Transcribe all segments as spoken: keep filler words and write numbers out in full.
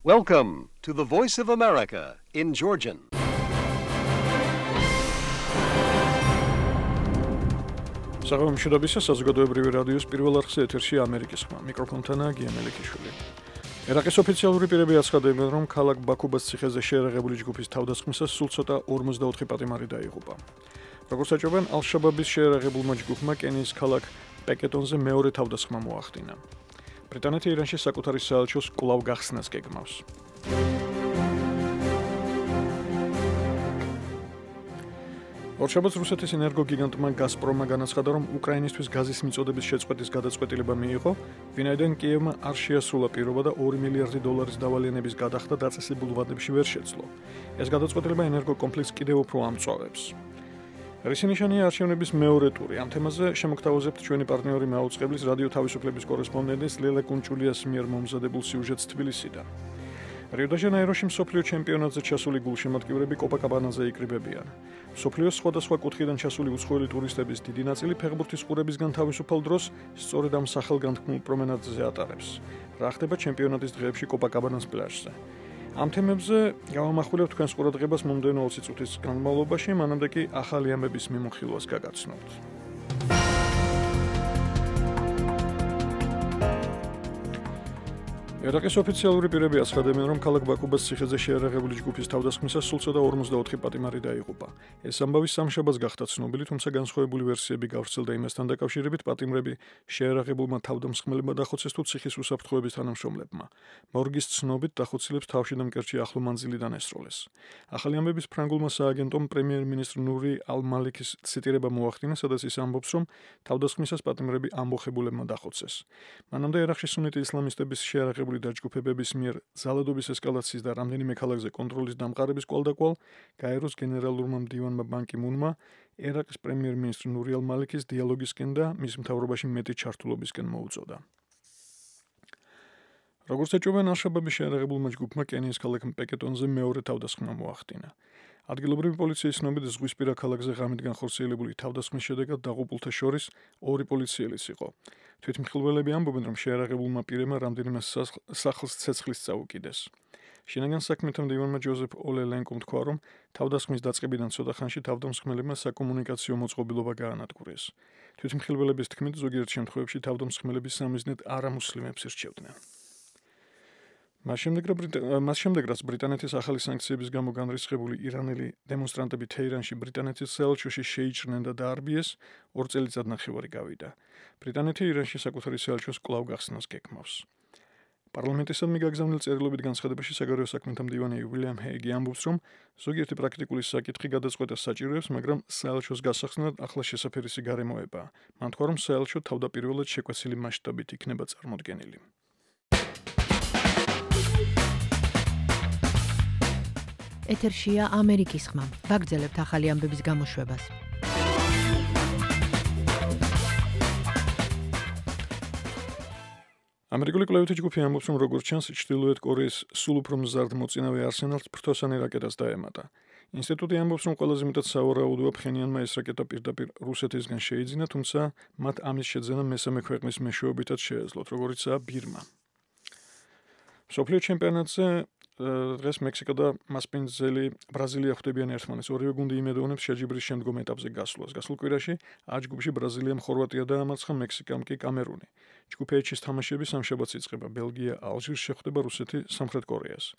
Welcome to the Voice of America in Georgian. Საღამომშვიდობისა საზოგადოებრივი რადიოს პირველ არხზე ეთერში ამერიკის ხმა. მიკროფონთანაა გია მელიქიშვილი. ერაყის ოფიციალური პირები აცხადებენ, რომ ქალაქ ბაქუბას ციხეზე შეერაღებული ჯგუფის თავდასხმისას სულ ცოტა ორმოცდაოთხი პატიმარი დაიღუპა. როგორც აჩვენებენ, ალ-შაბაბის შეერაღებულმა ჯგუფმა კენიის ქალაქ პეკეტონზე მეორე თავდასხმა მოახდინა. ბრიტანეთი ირანში საკუთარი საელჩოს კვლავ გახსნას გეგმავს. ორშაბათს რუსეთის ენერგოგიგანტმა გაზპრომმა განაცხადა, რომ უკრაინისთვის გაზის მიწოდების შეწყვეტის გადაწყვეტილება მიიღო, ვინაიდან კიევმა არ შეასრულა პირობა და ორი მილიარდი დოლარის დავალიანების გადახდა დაწესებულ ვადებში ვერ შეძლო. ეს გადაწყვეტილება ენერგოკომპლექსს კიდევ უფრო ამწვავებს. რისი ნიშანია არჩევნების მეორე ტური? ამ თემაზე შემოგთავაზებთ ჩვენი პარტნიორი მაუწყებლის რადიო თავისუფლების კორესპონდენტის ლელა კუნჭულიას მიერ მომზადებულ სიუჟეტს თბილისიდან. რიო-დე-ჟანეიროში მსოფლიო ჩემპიონატზე ჩასული გულშემატკივრები კოპაკაბანაზე იკრიბებიან. მსოფლიოს სხვადასხვა კუთხიდან ჩასული უცხოელი ტურისტების დიდი ნაწილი ფეხბურთის ყურებისგან თავისუფალ დროს სწორედ ამ სახელგანთქმულ პრომენადზე ატარებს. რა ხდება ჩემპიონატის დღეებში კოპაკაბანას პლაჟზე? ამ თემებზე გავამახვილებთ თქვენს ყურადღებას მომდევნო ოცი წუთის განმავლობაში, მანამდე კი ახალი ამბების მიმოხილვას გაგაცნობთ. ერაყის ოფიციალური პირები აცხადებენ, რომ ქალაქ ბაქუბას ციხეზე შეერაღებული ჯგუფის თავდასხმისას სულ ცოტა ორმოცდაოთხი პატიმარი დაიღუპა. ეს ამბავი სამშაბათს გახდა ცნობილი, თუმცა განსხვავებული ვერსიები გავრცელდა იმასთან დაკავშირებით, პატიმრები შეერაღებულმა თავდამსხმელებმა დახოცეს თუ ციხის უსაფრთხოების თანამშრომლებმა. მორგის ცნობით დახოცილებს თავში და მკერდში ახლო მანძილიდან ესროლეს. ახალი ამბების ფრანგულმა სააგენტომ პრემიერ-მინისტრ ნური ალ-მალიკის ციტირება მოახდინა, სადაც ის ამბობს, რომ თავდასხმისას პატიმრები ამბოხებულებმა დახოცეს. მანამდე ერაყში სუნიტი ისლამისტების შეერაღებული დაჯგუფებების მიერ ზალადობის ესკალაციის და რამდენიმე ქალაქზე კონტროლის დამყარების კვალდაკვალ გაეროს გენერალურმა მდივანმა ბან კი მუნმა ერაყის პრემიერ-მინისტრ ნური ალ-მალიკის დიალოგისკენ და მის მთავრობაში მეტი ჩართულობისკენ მოუწოდა. როგორც ეჭვობენ, ალ-შაბაბის შეერაღებულმა ჯგუფმა კენიის ქალაქ პეკეტონზე მეორე თავდასხმა მოახდინა. ადგილობრივი პოლიციის ცნობით ზღვისპირა ქალაქზე ღამით განხორციელებული თავდასხმის შედეგად დაღუპულთა შორის ორი პოლიციელიც იყო. თვითმხილველები ამბობენ, რომ შეერაღებულმა პირებმა რამდენიმე სახლს ცეცხლის წაუკიდეს. შინაგან საქმეთა მდივანმა ჯოზეფ ოლელენკომ თქვა, რომ თავდასხმის დაწყებიდან ცოტა ხანში თავდამსხმელებმა საკომუნიკაციო მოწყობილობა გაანადგურეს. თვითმხილველების თქმით, ზოგიერთ შემთხვევებში თავდამსხმელები სამიზნედ არამუსლიმებს ირჩევდნენ. მას შემდეგ, რაც ბრიტანეთის ახალი სანქციების გამო განრისხებული ირანელი დემონსტრანტები თეირანში ბრიტანეთის საელჩოში შეიჭრნენ და დაარბიეს, ორ წელიწად ნახევარი გავიდა. ბრიტანეთი ირანში საკუთარი საელჩოს კვლავ გახსნას გეგმავს. პარლამენტისადმი გაგზავნილ წერილობით განცხადებაში საგარეო საქმეთა მდივანი უილიამ ჰეიგი ამბობს, რომ ზოგიერთი პრაქტიკული საკითხი გადაწყვეტას საჭიროებს, მაგრამ საელჩოს გასახსნად ახლა შესაფერისი გარემოებაა. მან თქვა, რომ საელჩო თავდაპირველად შეკვეცილი მასშტაბით იქნება წარმოდგენილი. ეთერშია ამერიკის ხმა. ვაგრძელებთ ახალი ამბების გამოშვებას. ამერიკული კვლევითი ჯგუფი ამბობს, რომ როგორც ჩანს, ჩრდილოეთ კორეის სულ უფრო მზარდ მოწინავე არსენალს ფრთოსანი რაკეტას დაემატა. ინსტიტუტი ამბობს, რომ ყველაზე მეტად სავარაუდოა ფხენიანმა ეს რაკეტა პირდაპირ რუსეთისგან შეიძინა, თუმცა მათ ამის შეძენა მესამე ქვეყნის მეშვეობითაც შეეძლოთ, როგორიცაა ბირმა. მსოფლიო ჩემპიონატზე დღეს მექსიკა და მასპინძელი ბრაზილია ხვდებიან ერთმანეთს. ორივე გუნდი იმედოვნებს შეჯიბრის შემდგომ ეტაპზე გასვლას. გასულ კვირაში A ჯგუფში ბრაზილიამ ხორვატია დაამარცხა, მექსიკამ კი კამერუნი. ჯგუფ H-ის თამაშები სამშაბათს იწყება. ბელგია ალჟირს შეხვდება, რუსეთი სამხრეთ კორეას.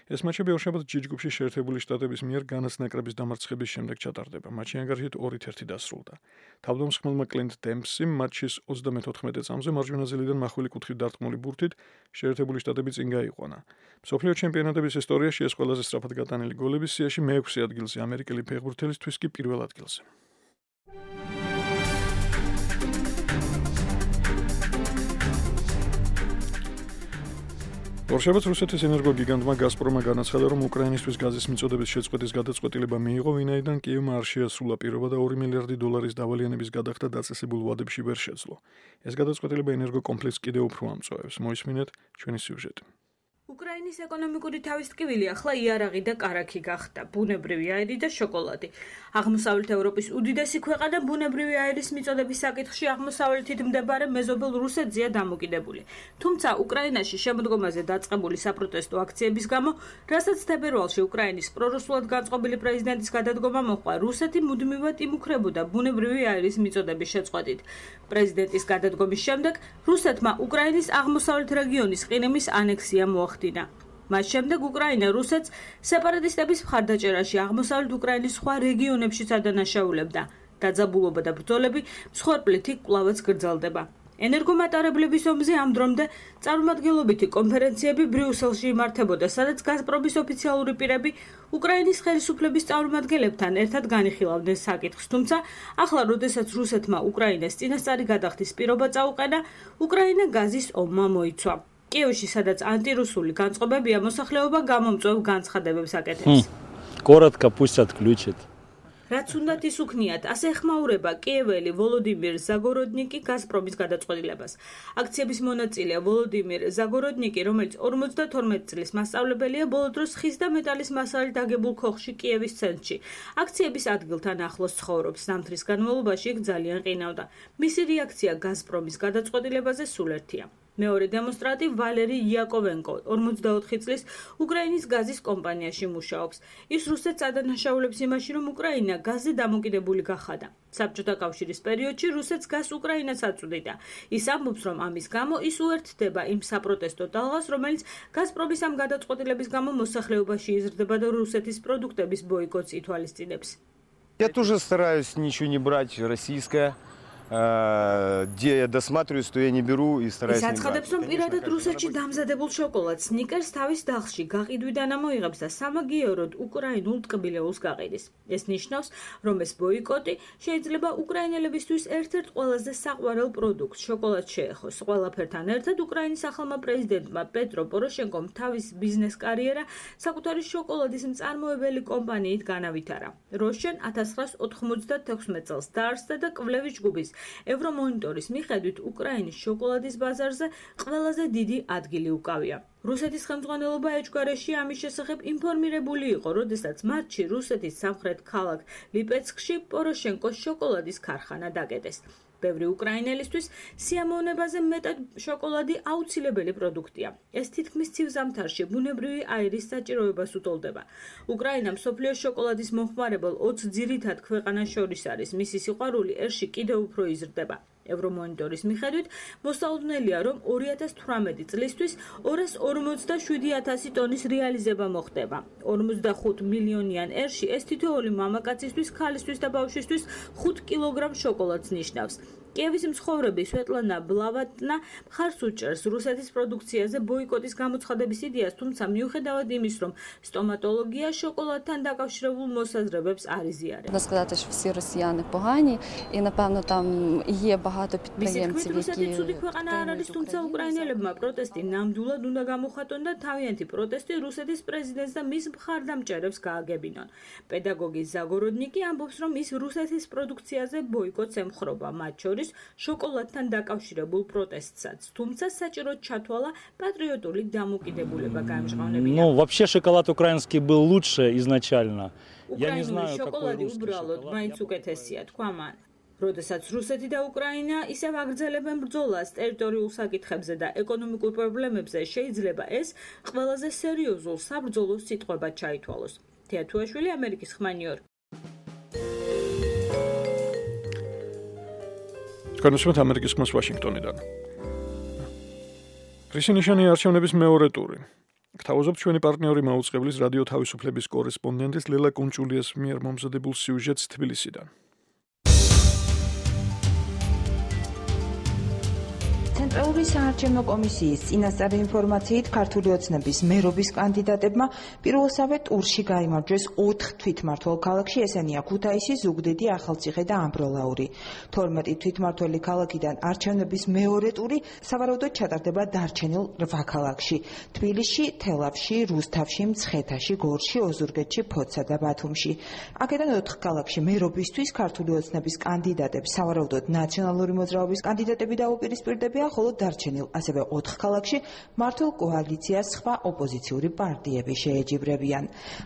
ეს მატჩები ორშაბათს G ჯგუფში შეერთებული შტატების მიერ განას ნაკრების დამარცხების შემდეგ ჩატარდება. მატჩი ანგარიშით ორით ერთი დასრულდა. თავდამსხმელმა კლინტ დემპსიმ მატჩის ოცდამეთოთხმეტე წამზე მარჯვენა ზილიდან მახვილი კუთხით დარტყმული ბურთით შეერთებული შტატები წინ გაიყვანა. მსოფლიო ჩემპიონატების ისტორიაში ეს ყველაზე სწრაფად გატანილი გოლების სიაში მეექვსე ადგილზე, ამერიკელი ფეხბურთელისთვის კი პირველ ადგილზე. ორშაბათს რუსეთის ენერგოგიგანტმა გაზპრომმა განაცხადა, რომ უკრაინისთვის გაზის მიწოდების შეწყვეტის გადაწყვეტილება მიიღო, ვინაიდან კიევმა არ შეასრულა პირობა და ორი მილიარდი დოლარის დავალიანების გადახდა დაწესებულ ვადებში ვერ შეძლო. ეს გადაწყვეტილება ენერგოკომპლექსს კიდევ უფრო ამწვავებს. მოისმინეთ ჩვენი სიუჟეტი. უკრაინის ეკონომიკური თავისტკივილი ახლა იარაღი და კარაქი გახდა, ბუნებრივი აირი და შოკოლადი. აღმოსავლეთ ევროპის უდიდესი ქვეყანა ბუნებრივი აირის მიწოდების საკითხში აღმოსავლეთით მდებარე მეზობელ რუსეთზეა დამოკიდებული. თუმცა უკრაინაში შემოდგომაზე დაწყებული საპროტესტო აქციების გამო, რასაც თებერვალში უკრაინის პრორუსულად განწყობილი პრეზიდენტის გადადგომა მოჰყვა, რუსეთი მუდმივად იმუქრებოდა ბუნებრივი აირის მიწოდების შეწყვეტით. პრეზიდენტის გადადგომის შემდეგ რუსეთმა უკრაინის აღმოსავლეთ რეგიონის ყირიმის ანექსია მოახდინა. მას შემდეგ უკრაინა რუსეთს სეპარატისტების მხარდაჭერაში აღმოსავლეთ უკრაინის სხვა რეგიონებშიც ადანაშაულებდა. დაძაბულობა და ბრძოლები მსხვერპლით კვლავაც გრძელდება. ენერგომატარებლების ომზე ამ დრომდე წარმომადგენლობითი კონფერენციები ბრიუსელში იმართებოდა, სადაც გაზპრომის ოფიციალური პირები უკრაინის ხელისუფლების წარმომადგენლებთან ერთად განიხილავდნენ საკითხს, თუმცა ახლა, როდესაც რუსეთმა უკრაინას წინასწარი გადახდის პირობა წაუყენა, უკრაინა გაზის ომმა მოიცვა. კიევში, სადაც ანტირუსული განწყობებია, მოსახლეობა გამომწვევ განცხადებებს აკეთებს. Коротко пусть отключат. რაც უნდათ ის უქნიათ, ასე ეხმაურება კიეველი ვოლოდიმირ ზაგოროდნიკი გაზპრომის გადაწყვეტილებას. აქციების მონაწილეა ვოლოდიმირ ზაგოროდნიკი, რომელიც ორმოცდათორმეტ წლის მასწავლებელია ბოლო დროს ხის და მეტალის მასალით აგებულ ქოხში კიევის ცენტრში. აქციების ადგილთან ახლოს ცხოვრობს, ზამთრის განმავლობაში იქ ძალიან ყინავდა. მისი რეაქცია გაზპრომის გადაწყვეტილებაზე სულ ერთია. მეორე დემონსტრანტი ვალერი იაკოვენკო, ორმოცდაოთხი წლის უკრაინის გაზის კომპანიაში მუშაობს. ის რუსეთს ადანაშაულებს იმაში, რომ უკრაინა გაზზე დამოკიდებული გახადა. საბჭოთა კავშირის პერიოდში რუსეთს გაზს უკრაინას აწვდიდა. ის ამბობს, რომ ამის გამო ის უერთდება იმ საპროტესტო ტალღას, რომელიც გაზპრომის ამ გადაწყვეტილების გამო მოსახლეობაში იზრდება და რუსეთის პროდუქტების ბოიკოტს ითვალისწინებს. Я тоже стараюсь ничего не брать российское. Где я досматриваю, что я не беру и стараюсь не брать. Საცხადებს, რომ პირადად რუსეთში დამზადებულ შოკოლადს სნიკერს თავის დახში გაყიდვიდან ამოიღებს და სამაგიეროდ უკრაინულ ტკბილეულს გაყიდის. ეს ნიშნავს, რომ ეს ბოიკოტი შეიძლება უკრაინელებისთვის ერთ-ერთ ყველაზე საყვარელ პროდუქტს შოკოლადს შეეხოს. ყველაფერთან ერთად უკრაინის ახალმა პრეზიდენტმა პეტრო პოროშენკომ თავის ბიზნეს კარიერა საკუთარი შოკოლადის მწარმოებელი კომპანიით განავითარა. როშენ ათას ცხრაას ოთხმოცდათექვსმეტ წელს დაარსდა და კვლევის ჯგუფის ევრომონიტორის მიხედვით უკრაინის შოკოლადის ბაზარზე ყველაზე დიდი ადგილი უკავია. რუსეთის ხელმძღვანელობა ეჭვგარეშე ამის შესახებ ინფორმირებული იყო, როდესაც მარტში რუსეთის სამხრეთ ქალაქ ლიპეცკში პოროშენკოს შოკოლადის ქარხანა დაკეტეს. ბევრი უკრაინელისთვის სიამოვნებაზე მეტად შოკოლადი აუცილებელი პროდუქტია. ეს თითქმის ცივ ზამთარში ბუნებრივი აირის საჭიროებას უტოლდება. უკრაინა მსოფლიოს შოკოლადის მომხმარებელ ოცი ძირითად ქვეყანას შორის არის. მისი სიყვარული ერში კიდევ უფრო იზრდება. ევრომონიტორის მიხედვით მოსალოდნელია, რომ ორი ათას თვრამეტი წლისთვის ორას ორმოცდაშვიდი ათასი ტონის რეალიზება მოხდება. ორმოცდახუთ მილიონიან ერში ეს თითოეული მამაკაცისთვის, ქალისთვის და ბავშვისთვის ხუთ კილოგრამ შოკოლადს ნიშნავს. კიევის მცხოვრები სვეტლანა ბლავატნა მხარს უჭერს რუსეთის პროდუქციაზე ბოიკოტის გამოცხადების იდეას, თუმცა მიუხედავად იმის, რომ სტომატოლოგია შოკოლადთან დაკავშირებულ მოსაზრებებს არ იზიარებს. Можна сказати, що всі росіяни погані, і напевно там є багато підприємців, які ცუდი ქვეყანა არ არის, თუმცა უკრაინელებმა პროტესტი ნამდვილად უნდა გამოხატონ და თავიანთი პროტესტი რუსეთის პრეზიდენტს და მის მხარდამჭერებს გააგებინონ. პედაგოგი ზაგოროდნიკი ამბობს, რომ ის რუსეთის პროდუქციაზე ბოიკოტს ემხრობა, მათ შორის შოკოლადთან დაკავშირებულ პროტესტსაც, თუმცა საჭიროდ ჩათვალა პატრიოტული დამოკიდებულება გაემჟღავნებინა. Ну, вообще шоколад украинский был лучше изначально. Я не უკრაინული знаю, какой შოკოლადი русский უბრალოდ шоколад. მაინც უკეთესია, თქვა მან. როდესაც რუსეთი და უკრაინა ისევ აგრძელებენ ბრძოლას ტერიტორიულ საკითხებზე და ეკონომიკურ პრობლემებზე, შეიძლება ეს ყველაზე სერიოზულ საბრძოლო სიტყვებად ჩაითვალოს. თეათუაშვილი, ამერიკის ხმა, ნიუ-იორკ. განსხვავებით ამერიკის ხმას ვაშინგტონიდან. რისინიშანი არჩევნების მეორე ტური. გთავაზობთ ჩვენი პარტნიორი მაუწყებლის რადიო თავისუფლების კორესპონდენტის ლელა კუნჭულიას მიერ მომზადებულ სიუჟეტს თბილისიდან. ცენტრალური საარჩევნო კომისიის წინასწარი ინფორმაციით ქართული ოცნების მერობის კანდიდატებმა პირველსავე ტურში გაიმარჯვეს ოთხ თვითმმართველ ქალაქში, ესენია ქუთაისი, ზუგდიდი, ახალციხე და ამბროლაური. თორმეტი თვითმმართველი ქალაქიდან არჩევნების მეორე ტური სავარაუდოდ ჩატარდება დარჩენილ რვა ქალაქში: თბილისში, თელავში, რუსთავში, მცხეთაში, გორში, ოზურგეთში, ფოთსა და ბათუმში. აქედან ოთხ ქალაქში მერობისთვის ქართული ოცნების კანდიდატებს სავარაუდოდ ნაციონალური მოძრაობის კანდიდატები დაუპირისპირდებიან, ხოლო დარჩენილ ასევე ოთხ ქალაქში მართულ კოალიციას სხვა ოპოზიციური პარტიები შეეჯიბრებიან.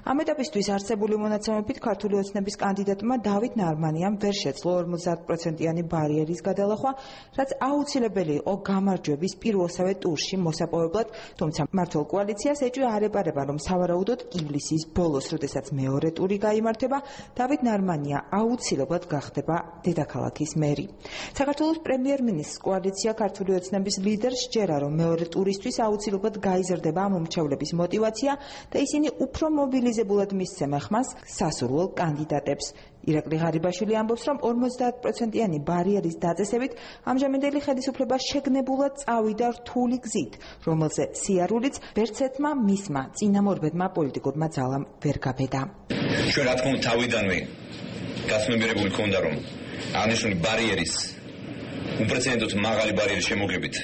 ამ ეტაპისთვის არსებული მონაცემებით ქართული ოცნების კანდიდატმა დავით ნარმანიამ ვერ შეძლო ორმოცდაათ პროცენტიანი ბარიერის გადალახვა, რაც აუცილებელი იყო გამარჯვების პირველსავე ტურში მოსაპოვებლად, თუმცა მართულ კოალიციას ეჭვი არ ეპარება, რომ სავარაუდოდ ივლისის ბოლოს, როდესაც მეორე ტური გაიმართება, დავით ნარმანია აუცილებლად გახდება დედაქალაქის მერი. საქართველოს პრემიერ-მინისტრს კოალიცია ქართული ოცნების ლიდერს სჯერა, რომ მეორე ტურისთვის აუცილებლად გაიზრდება მომრჩევლების мотиваცია და ისინი უფრო მობილიზებულად მისცემენ ხმას სასურველ კანდიდატებს. ირაკლი ღარიბაშვილი ამბობს, რომ ორმოცდაათ პროცენტიანი ბარიერის დაწესებით ამჟამინდელი ხელისუფლება შეგნებულად წავიდა რთული გზით, რომელზე სიარულიც ვერცერთმა მისმა წინამორბედმა პოლიტიკურმა ძალამ ვერ გაბედა. ჩვენ რა თქმა უნდა თავიდანვე გასმებერებული ქონდა, რომ აღნიშნული ბარიერის უპრეცედენტოდ მაღალი ბარიერის შემოღებით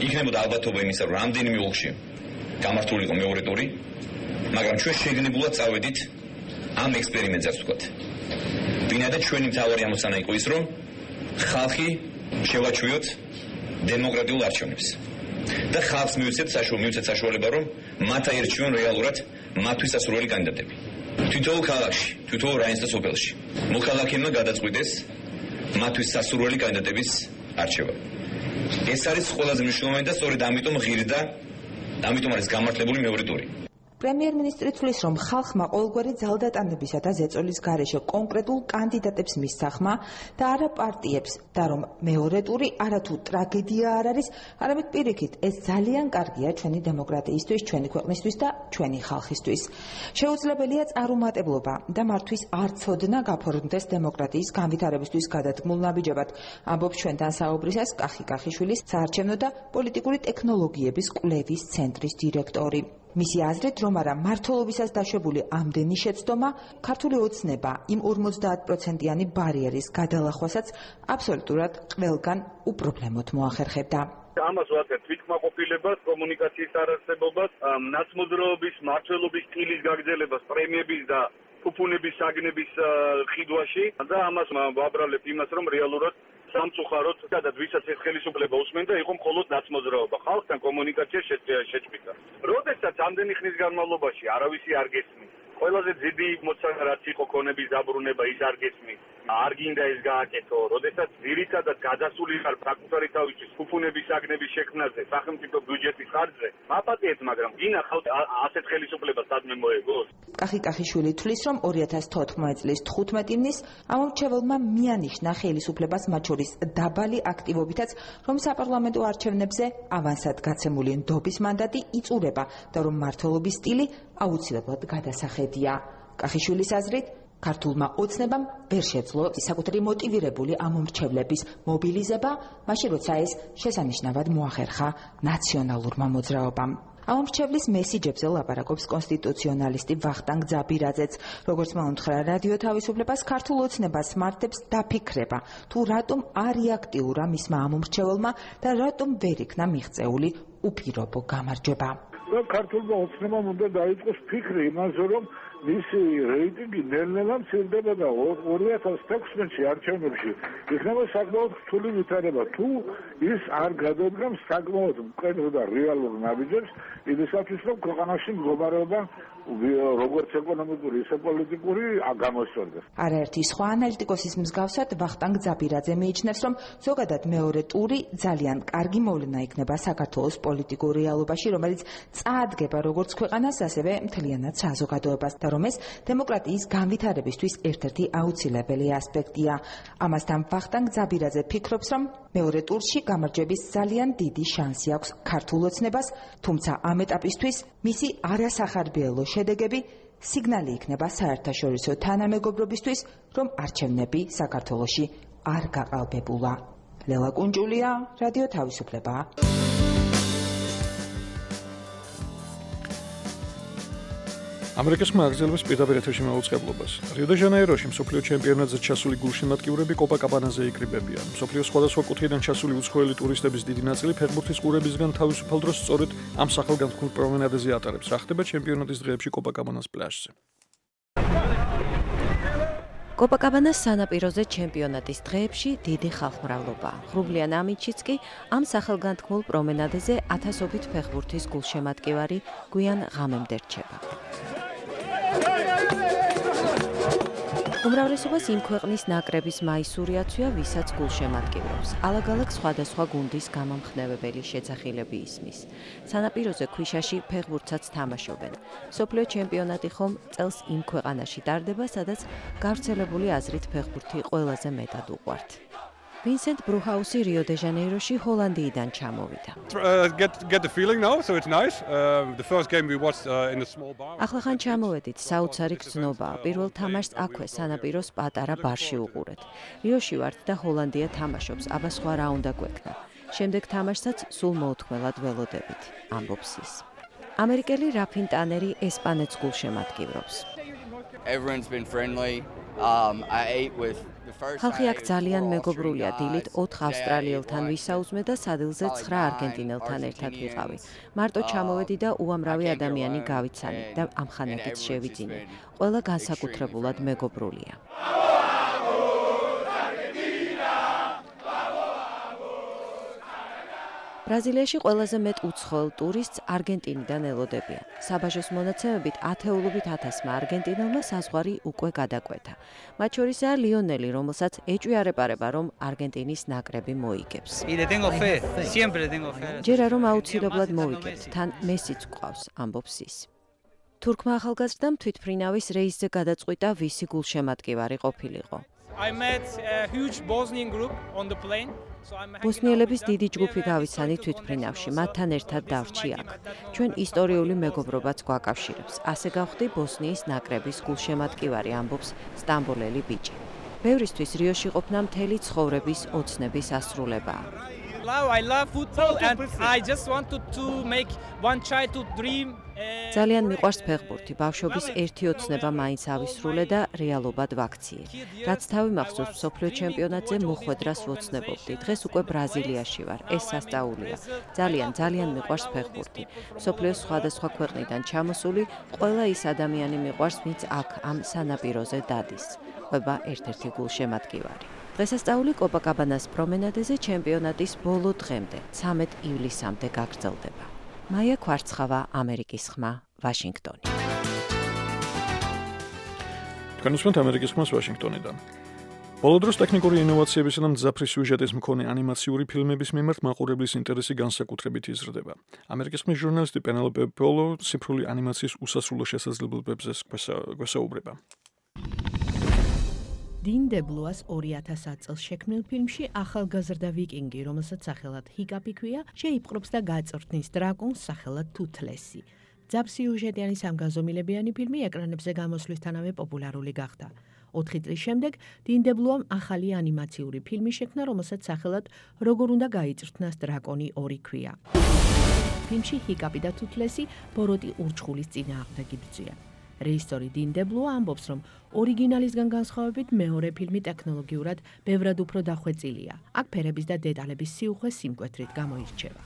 იქნებოდა ალბათობა იმისა, რომ რამდენიმე ოლქში გამართულიყო მეორე ტური, მაგრამ ჩვენ შეგნებულად წავედით ამ ექსპერიმენტზეც ვთქვათ. ბინადა ჩვენი მთავარი ამოცანა იყო ის, რომ ხალხი შევაჩვიოთ დემოკრატიულ არჩევნებს და ხალხს მივცეთ საშუალება, რომ მათ აერჩიონ რეალურად მათთვის სასურველი კანდიდატები. თითოეულ ქალაქში, თითოეულ რაიონსა და სოფელში მოქალაქეებმა გადაწყვიტეს მათთვის სასურველი კანდიდატების არჩევა. ეს არის ყველაზე მნიშვნელოვანი და სწორედ ამიტომ ღირდა, ამიტომ არის გამართლებული მეორე ტური. პრემიერ-მინისტრი თვლის, რომ ხალხმა ყოველგვარი ძალდატანებისა და ზეწოლის გარეშე კონკრეტულ კანდიდატებს მისცა ხმა და არა პარტიებს და რომ მეორე ტური არათუ ტრაგედია არ არის, არამედ პირიქით, ეს ძალიან კარგია ჩვენი დემოკრატიისთვის, ჩვენი ქვეყნისთვის და ჩვენი ხალხისთვის. შეუძლებელია წარუმატებლობა და მართვის არ ცოდნა გაფორმდეს დემოკრატიის განვითარებისთვის გადადგმულ ნაბიჯებად, ამბობს ჩვენთან საუბრისას კახი კახიშვილის საარჩევნო და პოლიტიკური ტექნოლოგიების კვლევის ცენტრის დირექტორი. მისი აზრით, რომ არა მართლობისას დაშვებული ამდენი შეცდომა ქართული ოცნება იმ ორმოცდაათ პროცენტიანი ბარიერის გადალახვასაც აბსოლუტურად ყველგან უპრობლემოდ მოახერხებდა. ამას ვახერხებთ თვითკმაყოფილებას, კომუნიკაციის არარსებობას, ნაცმოძრაობის, მმართველობის სტილის გაგრძელებას, პრემიების და ფუფუნების საგნების ხიდვაში და ამას ვაბრალებ იმას, რომ რეალურად სამწუხაროდ სადაც ვისაც ეს ხელისუფლება უსმენდა, იყო მხოლოდ ნაცმოძრაობა, ხალხთან კომუნიკაცია შეჭმიდა. როდესაც ამდენი ხნის განმავლობაში არავისი არ გესმის, ყველაზე დიდი მოცანა რაც იყო ქონების დაბრუნება, ის არ გესმის. არ გინდა ეს გააკეთო, როდესაც ძირითადად გადასული ხარ საკუთარი თავისთვის ფუფუნების საგნების შექმნაზე, სახელმწიფო ბიუჯეტის ხარჯზე, მაპატიეთ, მაგრამ გინახავთ ასეთ ხელისუფლებას სადმე მოეგოს. კახი კახიშვილი თვლის, რომ ორი ათას თოთხმეტი წლის თხუთმეტი ივნის ამომრჩეველმა მიანიშნა ხელისუფლებას მათ შორის დაბალი აქტივობითაც, რომ საპარლამენტო არჩევნებზე ავანსად გაცემული ნდობის მანდატი იწურება და რომ მმართველობის სტილი აუცილებლად გადასახედია. კახიშვილის აზრით, ქართულმა ოცნებამ ვერ შეძლო საკუთარი მოტივირებული ამომრჩევლების მობილიზება, მაშინ როცა ეს შესანიშნავად მოახერხა ნაციონალურმა მოძრაობამ. ამომრჩევლის მესიჯებზე ლაპარაკობს კონსტიტუციონალისტი ვახტანგ ძაბირაძეც, როგორც მოუნთხრა რადიო თავისუფლებას, ქართულ ოცნებას მართებს დაფიქრება, თუ რატომ არ რეაქტიურა მისმა ამომრჩეველმა და რატომ ვერ იქნა მიღწეული უპირობო გამარჯვება. ქართულმა ოცნებამ უნდა დაიწყოს ფიქრი იმაზე, რომ მისი რეიტინგი ნელ-ნელა მცირდება და ორი ათას თექვსმეტში არჩევნებში იქნება საკმაოდ რთული ვითარება. თუ ის არ გადადგამს საკმაოდ მკვეთრ და რეალურ ნაბიჯებს იმისათვის, რომ ქვეყანაში მდგომარეობა როგორც ეკონომიკური, ისე პოლიტიკური გამოსწორდეს. არაერთი სხვა ანალიტიკოსის მსგავსად ვახტანგ ძაბირაძე მიიჩნევს, რომ ზოგადად მეორე ტური ძალიან კარგი მოვლენა იქნება საქართველოს პოლიტიკურ რეალობაში, რომელიც წაადგება როგორც ქვეყანას, ასევე მთლიანად საზოგადოებას და რომ ეს დემოკრატიის განვითარებისთვის ერთ-ერთი აუცილებელი ასპექტია. ამასთან ვახტანგ ძაბირაძე ფიქრობს, რომ მეორე ტურში გამარჯვების ძალიან დიდი შანსი აქვს ქართულ ოცნებას, თუმცა ამ ეტაპისთვის მისი არასახარბიელო შედეგები სიგნალი იქნება საერთაშორისო თანამეგობრობისთვის, რომ არჩევნები საქართველოში არ გაყალბებულა. ლელა კუნჯულია, რადიო თავისუფლება. ამერიკასმა აგრძელებს პირდაპირ ეთერში მაუწყებლობას. რიო-დე-ჟანეიროში მსოფლიო ჩემპიონატზე ჩასული გულშემატკივრები კოპაკაბანაზე იკრიბებიან. მსოფლიოს სხვადასხვა კუთხიდან ჩასული უცხოელი ტურისტების დიდი ნაწილი ფეხბურთის ყურებისგან თავისუფალ დროს სწორედ ამ სახელგანთქმულ პრომენადაზე ატარებს. რა ხდება ჩემპიონატის დღეებში კოპაკაბანას პლაჟზე? კოპაკაბანას სანაპიროზე ჩემპიონატის დღეებში დიდი ხალხმრავლობა. ღრუბლიან ამინჩიც კი ამ სახელგანთქმულ პრომენადაზე ათასობით ფეხბურთის გულშემატკივარი გვიან ღამემდე რჩება. უმრავლესობას იმ ქვეყნის ნაკრების მაისური აცვია, ვისაც გულშემატკივრებს. ალაგ-ალაგ სხვადასხვა გუნდის გამამხნევებელი შეძახილები ისმის. სანაპიროზე ქვიშაში ფეხბურთსაც თამაშობენ. მსოფლიო ჩემპიონატი ხომ წელს იმ ქვეყანაში ტარდება, სადაც გავრცელებული აზრით ფეხბურთი ყველაზე მეტად უყვართ. ვინსენტ ბრუჰაუსი რიო-დე-ჟანეიროში ჰოლანდიიდან ჩამოვიდა. ახლახან ჩამოვედით, საოცარი გრძნობაა. პირველ თამაშს აქვე სანაპიროს პატარა ბარში უყურეთ. რიოში ვართ და ჰოლანდია თამაშობს, აბა სხვა რა უნდა გვექნა. შემდეგ თამაშსაც სულ მოუთმელად ველოდებით, ამბობს ის. ამერიკელი რაფინ ტანერი ესპანეთს გულშემატკივრობს. ხალხი აქ ძალიან მეგობრულია, დილით ოთხ ავსტრალიელთან ვისაუზმე და სადილზე ცხრა არგენტინელთან ერთად ვიყავი. მარტო ჩამოვედი და უამრავი ადამიანი გავიცანი და ამხანაგიც შევიძინე. ყველა განსაკუთრებულად მეგობრულია. ბრაზილიაში ყველაზე მეტ უცხოელ ტურისტს არგენტინიდან ელოდებიან. საბაჟოს მონაცემებით ათეულობით ათასმა არგენტინელმა საზღვარი უკვე გადაკვეთა. მათ შორისაა ლიონელი, რომელსაც ეჭვიარეპარება, რომ არგენტინის ნაკრები მოიგებს. ჯერა რომ აუცილებლად მოვიგებთ, თან მესიც გვყავს, ამბობს ის. თურქმა ახალგაზრდამ თვითმფრინავის რეისზე გადაწყვიტა, ვისი გულშემატკივარი ყოფილიყო. ბოსნიელების დიდი ჯგუფი გავიცანი თვითმფრინავში, მათთან ერთად დავრჩი აქ. ჩვენ ისტორიული მეგობრობაც გვაკავშირებს. ასე გავხდი ბოსნიის ნაკრების გულშემატკივარი, ამბობს სტამბოლელი ბიჭი. ბევრისთვის რიოში ყოფნა მთელი ცხოვრების ოცნების ასრულებაა. ძალიან მიყვარს ფეხბურთი, ბავშვობის ერთი ოცნება მაინც ავისრულე და რეალობად ვაქციე. რაც თავი მახსოვს მსოფლიო ჩემპიონატზე მოხვედრას ვოცნებობდი. დღეს უკვე ბრაზილიაში ვარ, ეს სასწაულია. ძალიან, ძალიან მიყვარს ფეხბურთი. მსოფლიოს სხვადასხვა ქვეყნიდან ჩამოსული ყველა ის ადამიანი მიყვარს, ვინც აქ ამ სანაპიროზე დადის. ყვება ერთ-ერთი გულშემატკივარი. დღესასწაული კოპაკაბანას პრომენადაზე ჩემპიონატის ბოლო დღემდე, ცამეტ ივლისამდე გაგრძელდება. მაია ქვარცხავა, ამერიკის ხმა, ვაშინგტონი. თქვენ უსმენთ ამერიკის ხმას ვაშინგტონიდან. ბოლო დროს ტექნიკური ინოვაციებისა და მძაფრი სიუჟეტის მქონე ანიმაციური ფილმების მიმართ მაყურებლის ინტერესი განსაკუთრებით იზრდება. ამერიკის ხმის ჟურნალისტი პენელოპე პოლო ციფრული ანიმაციის უსასრულო შესაძლებლობებზე გვესაუბრება. დინ დებლუას ორი ათას ათ წელს შექმნილ ფილმში ახალგაზრდა ვიკინგი, რომელსაც სახელად ჰიკაპი ქვია, შეიპყრობს და გაწვრთნის დრაკონს სახელად თუთლესი. ძაბსიუჟეტიანი სამგანზომილებიანი ფილმი ეკრანებზე გამოსვლისთანავე პოპულარული გახდა. ოთხი წლის შემდეგ დინ დებლუამ ახალი ანიმაციური ფილმი შექმნა, რომელსაც სახელად როგორ უნდა გაიწვრთნას დრაკონი ორი ქვია. ფილმში ჰიკაპი და თუთლესი ბოროტი ურჩხულის წინააღმდეგ იბრძვიან. რეჟისორი დინ დებლუა ამბობს, რომ ორიგინალისგან განსხვავებით მეორე ფილმი ტექნოლოგიურად ბევრად უფრო დახვეწილია. აქ ფერების და დეტალების სიუხვე სიმკვეთრით გამოირჩევა.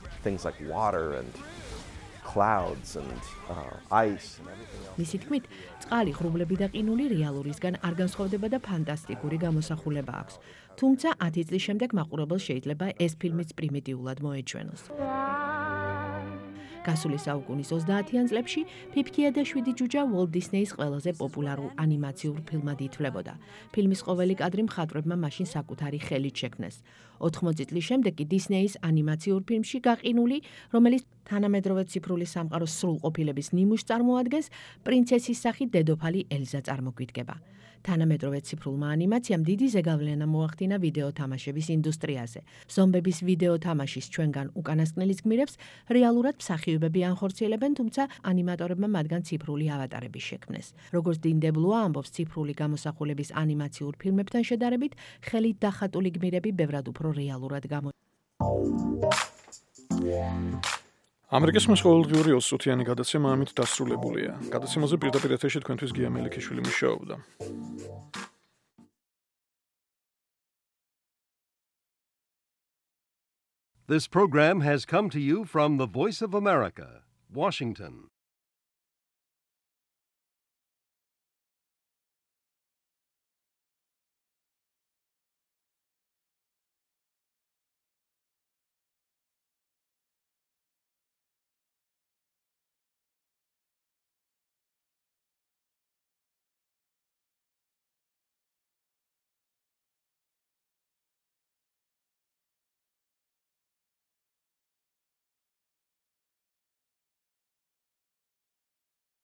მისი თქმით, წყალი, ღრუბლები და ყინული რეალურისგან არ განსხვავდება და ფანტასტიკური გამოსახულება აქვს. თუმცა ათი წლის შემდეგ მაყურებელს შეიძლება ეს ფილმიც პრიმიტიულად მოეჩვენოს. გასული საუკუნის ოცდაათიან წლებში ფიფქია და შვიდი ჯუჯა უოლტ დისნეის ყველაზე პოპულარულ ანიმაციურ ფილმად ითვლებოდა. ფილმის ყოველი კადრი მხატვრებმა მაშინ საკუთარი ხელით შექმნეს. ოთხმოცი წლის შემდეგ კი დისნეის ანიმაციურ ფილმში გაყინული, რომელიც თანამედროვე ციფრული სამყაროს სრულყოფილების ნიმუშს წარმოადგენს, პრინცესის სახით დედოფალი ელზა წარმოგვიდგება. თანამედროვე ციფრულმა ანიმაციამ დიდი ზეგავლენა მოახდინა ვიდეო თამაშების ინდუსტრიაზე. ზომბების ვიდეო თამაშის ჩვენგან უკანასკნელის გმირებს რეალურად მსახიობები ანხორციელებენ, თუმცა ანიმატორებმა მათგან ციფრული ავატარები შექმნეს. როგორც დინ დებლუა ამბობს, ციფრული გამოსახულების ანიმაციურ ფილმებთან შედარებით, ხელით დახატული გმირები ბევრად უფრო რეალურად გამო ამერიკის ხმის ყოველდღიური ოცდაათიანი გადაცემა ამით დასრულებულია. გადაცემაზე პირდაპირ ეთერში თქვენთვის გია მელიქიშვილი მუშაობდა. This program has come to you from the Voice of America, Washington.